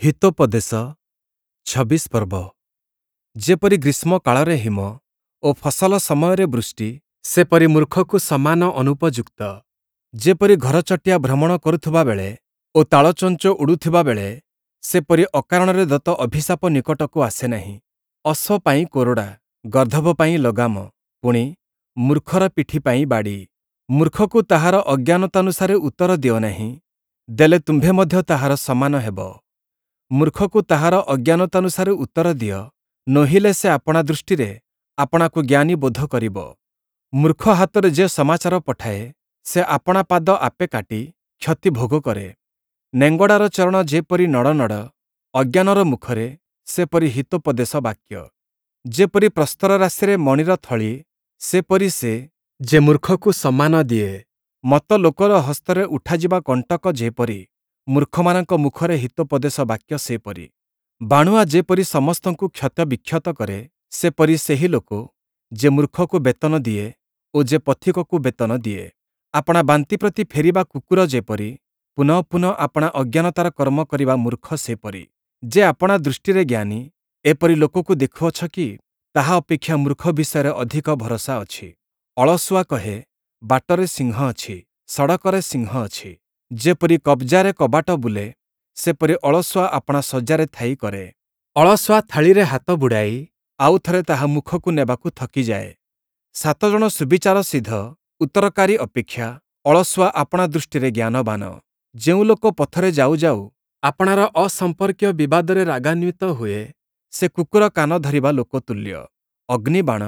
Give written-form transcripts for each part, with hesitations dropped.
ହିତୋପଦେଶ 26 ପର୍ବ। ଯେପରି ଗ୍ରୀଷ୍ମକାଳରେ ହିମ ଓ ଫସଲ ସମୟରେ ବୃଷ୍ଟି, ସେପରି ମୂର୍ଖକୁ ସମ୍ମାନ ଅନୁପଯୁକ୍ତ। ଯେପରି ଘରଚଟିଆ ଭ୍ରମଣ କରୁଥିବା ବେଳେ ଓ ତାଳଚୋଞ୍ଚ ଉଡ଼ୁଥିବା ବେଳେ, ସେପରି ଅକାରଣରେ ଦତ୍ତ ଅଭିଶାପ ନିକଟକୁ ଆସେ ନାହିଁ। ଅଶ୍ୱ ପାଇଁ କୋରଡ଼ା, ଗର୍ଦ୍ଦଭ ପାଇଁ ଲଗାମ, ପୁଣି, ମୂର୍ଖର ପିଠି ପାଇଁ ବାଡ଼ି। ମୂର୍ଖକୁ ତାହାର ଅଜ୍ଞାନତାନୁସାରେ ଉତ୍ତର ଦିଅ ନାହିଁ, ଦେଲେ ତୁମ୍ଭେ ମଧ୍ୟ ତାହାର ସମାନ ହେବ। ମୂର୍ଖକୁ ତାହାର ଅଜ୍ଞାନତାନୁସାରେ ଉତ୍ତର ଦିଅ, ନୋହିଲେ ସେ ଆପଣା ଦୃଷ୍ଟିରେ ଆପଣାକୁ ଜ୍ଞାନୀ ବୋଧ କରିବ। ମୂର୍ଖ ହାତରେ ଯେ ସମାଚାର ପଠାଏ, ସେ ଆପଣା ପାଦ ଆପେ କାଟି କ୍ଷତି ଭୋଗ କରେ। ନେଙ୍ଗଡ଼ାର ଚରଣ ଯେପରି ନଡ଼ନଡ଼, ଅଜ୍ଞାନର ମୁଖରେ ସେପରି ହିତୋପଦେଶ ବାକ୍ୟ। ଯେପରି ପ୍ରସ୍ତର ରାଶିରେ ମଣିର ଥଳି, ସେପରି ସେ ଯେ ମୂର୍ଖକୁ ସମ୍ମାନ ଦିଏ। ମତ୍ତ ଲୋକର ହସ୍ତରେ ଉଠାଯିବା କଣ୍ଟକ ଯେପରି, ମୂର୍ଖମାନଙ୍କ ମୁଖରେ ହିତୋପଦେଶ ବାକ୍ୟ ସେପରି। ବାଣୁଆ ଯେପରି ସମସ୍ତଙ୍କୁ କ୍ଷତବିକ୍ଷତ କରେ, ସେପରି ସେହି ଲୋକ ଯେ ମୂର୍ଖକୁ ବେତନ ଦିଏ ଓ ଯେ ପଥିକକୁ ବେତନ ଦିଏ। ଆପଣା ବାନ୍ତି ପ୍ରତି ଫେରିବା କୁକୁର ଯେପରି, ପୁନଃ ପୁନଃ ଆପଣା ଅଜ୍ଞାନତାର କର୍ମ କରିବା ମୂର୍ଖ ସେପରି। ଯେ ଆପଣା ଦୃଷ୍ଟିରେ ଜ୍ଞାନୀ, ଏପରି ଲୋକକୁ ଦେଖୁଅଛ କି? ତାହା ଅପେକ୍ଷା ମୂର୍ଖ ବିଷୟରେ ଅଧିକ ଭରସା ଅଛି। ଅଳସୁଆ କହେ, ବାଟରେ ସିଂହ ଅଛି, ସଡ଼କରେ ସିଂହ ଅଛି। ଯେପରି କବ୍ଜାରେ କବାଟ ବୁଲେ, ସେପରି ଅଳସୁଆ ଆପଣା ଶଯ୍ୟାରେ ଥାଇ କରେ। ଅଳସୁଆ ଥାଳିରେ ହାତ ବୁଡ଼ାଇ ଆଉଥରେ ତାହା ମୁଖକୁ ନେବାକୁ ଥକିଯାଏ। ସାତ ଜଣ ସୁବିଚାର ସିଦ୍ଧ ଉତ୍ତରକାରୀ ଅପେକ୍ଷା ଅଳସୁଆ ଆପଣା ଦୃଷ୍ଟିରେ ଜ୍ଞାନବାନ। ଯେଉଁ ଲୋକ ପଥରେ ଯାଉ ଯାଉ ଆପଣାର ଅସମ୍ପର୍କୀୟ ବିବାଦରେ ରାଗାନ୍ୱିତ ହୁଏ, ସେ କୁକୁର କାନ ଧରିବା ଲୋକ ତୁଲ୍ୟ। ଅଗ୍ନିବାଣ,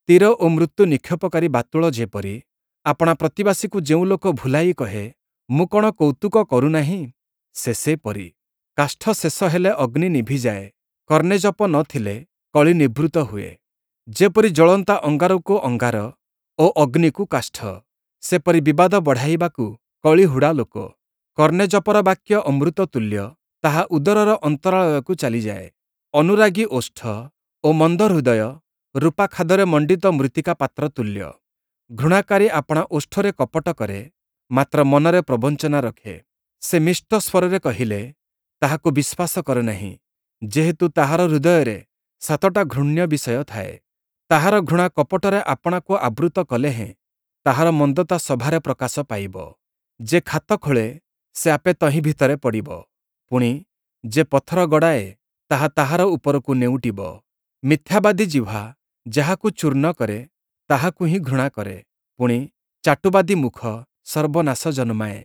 ତୀର ଓ ମୃତ୍ୟୁ ନିକ୍ଷେପକାରୀ ବାତୁଳ ଯେପରି, ଆପଣା ପ୍ରତିବାସୀକୁ ଯେଉଁ ଲୋକ ଭୁଲାଇ କହେ, ମୁଁ କ'ଣ କୌତୁକ କରୁନାହିଁ, ସେ ସେପରି। କାଷ୍ଠ ଶେଷ ହେଲେ ଅଗ୍ନି ନିଭିଯାଏ, କର୍ଣ୍ଣେଜପ ନ ଥିଲେ କଳି ନିବୃତ୍ତ ହୁଏ। ଯେପରି ଜ୍ୱଳନ୍ତା ଅଙ୍ଗାରକୁ ଅଙ୍ଗାର ଓ ଅଗ୍ନିକୁ କାଷ୍ଠ, ସେପରି ବିବାଦ ବଢ଼ାଇବାକୁ କଳିହୁଡ଼ା ଲୋକ। କର୍ଣ୍ଣେଜପର ବାକ୍ୟ ଅମୃତ ତୁଲ୍ୟ, ତାହା ଉଦରର ଅନ୍ତରାଳୟକୁ ଚାଲିଯାଏ। ଅନୁରାଗୀ ଓଷ୍ଠ ଓ ମନ୍ଦ ହୃଦୟ ରୂପା ଖାଦରେ ମଣ୍ଡିତ ମୃତ୍ତିକା ପାତ୍ର ତୁଲ୍ୟ। ଘୃଣାକାରୀ ଆପଣା ଓଷ୍ଠରେ କପଟ କରେ, ମାତ୍ର ମନରେ ପ୍ରବଞ୍ଚନା ରଖେ। ସେ ମିଷ୍ଟ ସ୍ୱରରେ କହିଲେ ତାହାକୁ ବିଶ୍ୱାସ କର ନାହିଁ, ଯେହେତୁ ତାହାର ହୃଦୟରେ ସାତଟା ଘୃଣ୍ୟ ବିଷୟ ଥାଏ। ତାହାର ଘୃଣା କପଟରେ ଆପଣାକୁ ଆବୃତ କଲେ ହେଁ ତାହାର ମନ୍ଦତା ସଭାରେ ପ୍ରକାଶ ପାଇବ। ଯେ ଖାତ ଖୋଳେ, ସେ ଆପେ ତହିଁ ଭିତରେ ପଡ଼ିବ, ପୁଣି, ଯେ ପଥର ଗଡ଼ାଏ, ତାହା ତାହାର ଉପରକୁ ନେଉଟିବ। ମିଥ୍ୟାବାଦୀ ଜିହ୍ୱା ଯାହାକୁ ଚୂର୍ଣ୍ଣ କରେ, ତାହାକୁ ହିଁ ଘୃଣା କରେ, ପୁଣି, ଚାଟୁବାଦୀ ମୁଖ ସର୍ବନାଶ ଜନ୍ମାଏ।